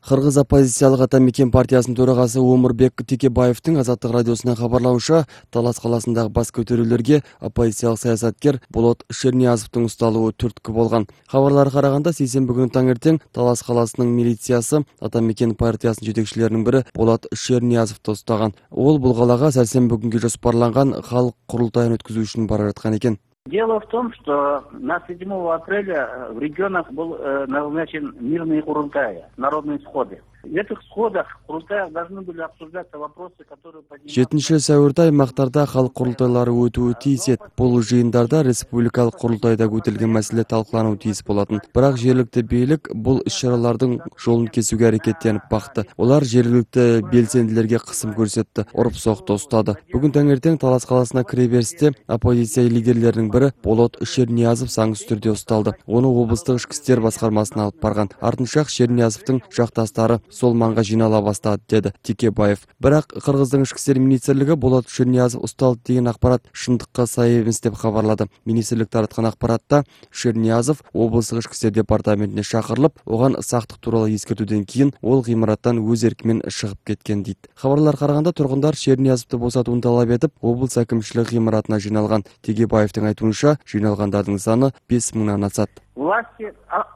Кыргыз оппозициялык Атамекен партиясынын төрагасы Омурбек Текебаевдин Азаттык радиосуна кабарлауынча, Талас каласындагы бас көтөрүүлөргө оппозициялык саясаткер Болот Шерниязовдун уставы түрткү болгон. Кабарларга караганда, сейсенби күнү таңертең Талас каласынын милициясы Атамекен партиясынын жетекчилеринин бири Болот Шерниязовду устаган. Ол бул калаага сәрсенбі күнгө жоспарланган халык курултайын өткөзүү үчүн бара жаткан экен. Дело в том, что на 7 апреля в регионах был назначен мирные курултаи, народные сходы. В этих сходах, курултаях должны были обсуждаться вопросы, которые... 7 сәуірде аймактарда халык курултайлары өтүүгө тийис эт. Бул жыйындарда республикалык курултайда көтөрүлгөн маселе талкылануу тийис болотун. Бирок жергиликтүү бийлик бул иш-чаралардын жолун кесүүгө аракеттенип бакты. Олар жергиликтүү белсендилерге кысым көрсөттү, уруп-сокто устады. Бүгүн таңертең Талас каласына кире бериште оппозиция лидерлеринин бири Болот Шерниязов саңсыз түрдө усталды. Ону облустук ички иштер баскармасына алып барган. Артынча Шерниязовдун жакташтары сол манга жинала баштады, деди Текебаев. Бирок Кыргыздын ички иштер министрлиги Болот Шерниязов усталды деген акпарат шындыкка сай эмес деп кабарлады. Министрлик тараткан акпаратта Шерниязов облустук ички иштер департаментине чакырылып, оган сактык тууралуу эскертүүдөн кийин ол гыймараттан өз эркимен чыгып кеткен дейт. Кабарларга караганда, тургундар Шерниязовду босотууну талап этип, облус акимчилиги гыймаратына жиналган. Текебаевдин айтуунча, жиналгандардын саны 5000 асат. Власти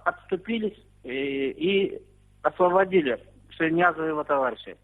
отступились и освободили Шерниязова и его товарищей.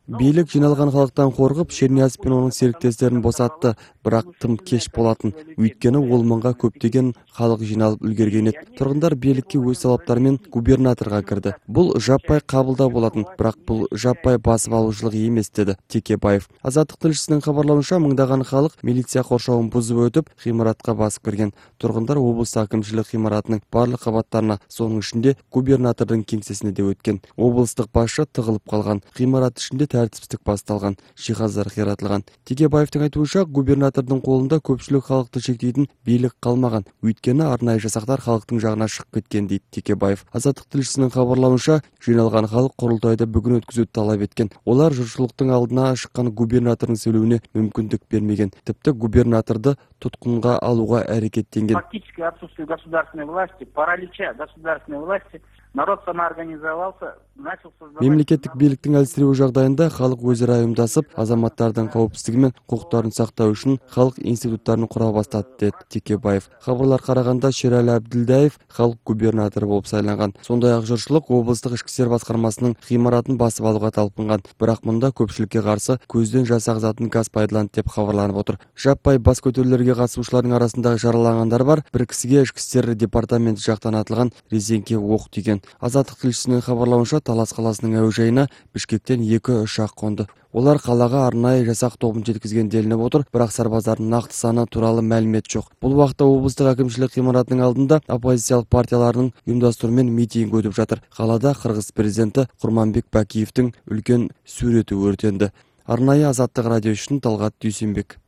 Бийлик жиналган халыктан коркуп, Шерниязов менен анын сериктестерин босатты, бирок тым кеч болотун. Үйткөнү ол манга көптөгөн халык жиналып үлгерген эт. Тургундар бийликке өз талаптары менен губернаторго кирди. Бул жаппай кабылдоо болотун, бирок бул жаппай басып алуучулук эмес, деди Текебаев. Азаттык тилчисинин кабарлауынча, мыңдаган халык милиция коршоогун бузуп өтүп, гыймаратка басып кирген. Тургундар облус акимчилик гыймаратынын барлык кабаттарына, сонун ичинде губернатордун кеңсесине де өткөн. Облустук башчы тыгылып калган. Гыймарат ичинде тартипсиздик басталган, жиһаздар кыйратылган. Текебаевдин айтуунча, губернатордун колунда көпчүлүк халыкты чектейтин бийлик калмаган. Үйткөнү арнайы жасактар халыктын жагына чыгып кеткен, дейт Текебаев. Азаттык тилчисинин кабарлауынча, жиналган халык курултайды бүгүн өткөзүүнү талап эткен. Олар журтчулуктун алдына чыккан губернатордун сөйлөөнүнө мүмкүндүк бермеген. Типти губернаторду туткунга алууга аракеттенген. Фактически отсутствие государственной власти, паралича государственной власти, народ самоорганизовался, начал создавать... Мемлекеттик бийликтин алсирөө жагдайында халык өз ара уюмдашып, азаматтардын коопсуздугу менен укуктарын сактоо үчүн халык институттарын кура баштады, деди Текебаев. Кабарларга караганда, Шерали Абдилдаев халык губернатору болуп сайланган. Сондай-ак журтчулук облустук ички иштер баскармасынын гыймаратын басып алууга талпынган. Бирок мында көпчүлүккө каршы көздөн жас агызатын газ пайдаланды деп кабарланып отур. Жаппай бас көтөрүүлөргө катышуучулардын арасында жаралангандар бар. Бир кисиге ички иштер департаменти жактан атылган резеңке ок тийген. Азаттык тилчисинин кабарлауынча, Талас каласынын әуе жайына Бишкектен 2 учак конду. Олар калаага арнайы жасак тобун жеткизген делинип отур, бирок сарбаздардын накты саны тууралуу маалимет жок. Бул убакта облустук акимчилик гыймаратынын алдында оппозициялык партиялардын уюмдаштыруу менен митинг өтүп жатыр. Калаада Кыргыз президенти Курманбек Бакиевдин үлкөн сүрөтү өртөндү. Арнайы Азаттык радио үчүн Талгат Дүйсүнбек.